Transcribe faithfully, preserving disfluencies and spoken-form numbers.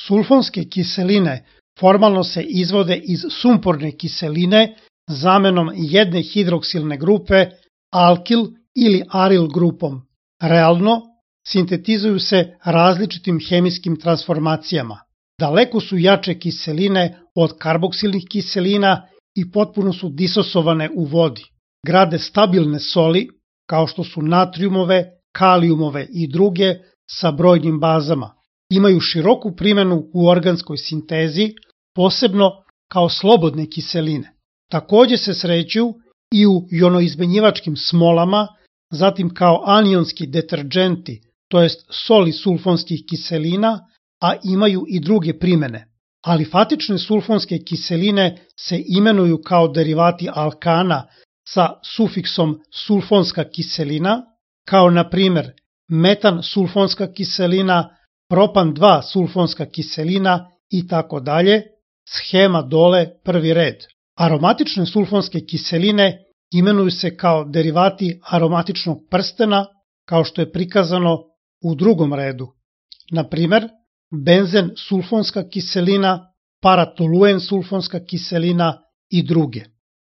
Sulfonske kiseline formalno se izvode iz sumporne kiseline zamenom jedne hidroksilne grupe alkil ili aril grupom. Realno, sintetizuju se različitim hemijskim transformacijama. Daleko su jače kiseline od karboksilnih kiselina i potpuno su disosovane u vodi. Grade stabilne soli, kao što su natrijumove, kalijumove i druge, sa brojnim bazama. Imaju široku primenu u organskoj sintezi, posebno kao slobodne kiseline. Takođe se sreću i u jonoizmenjivačkim smolama, zatim kao anionski deterđenti, to jest soli sulfonskih kiselina, a imaju i druge primene. Alifatične sulfonske kiseline se imenuju kao derivati alkana sa sufiksom sulfonska kiselina, kao na primer metan sulfonska kiselina, propan dva sulfonska kiselina i tako dalje, schema dole prvi red. Aromatične sulfonske kiseline imenuju se kao derivati aromatičnog prstena, kao što je prikazano u drugom redu. Na primer, benzen sulfonska kiselina, paratoluen sulfonska kiselina i druge.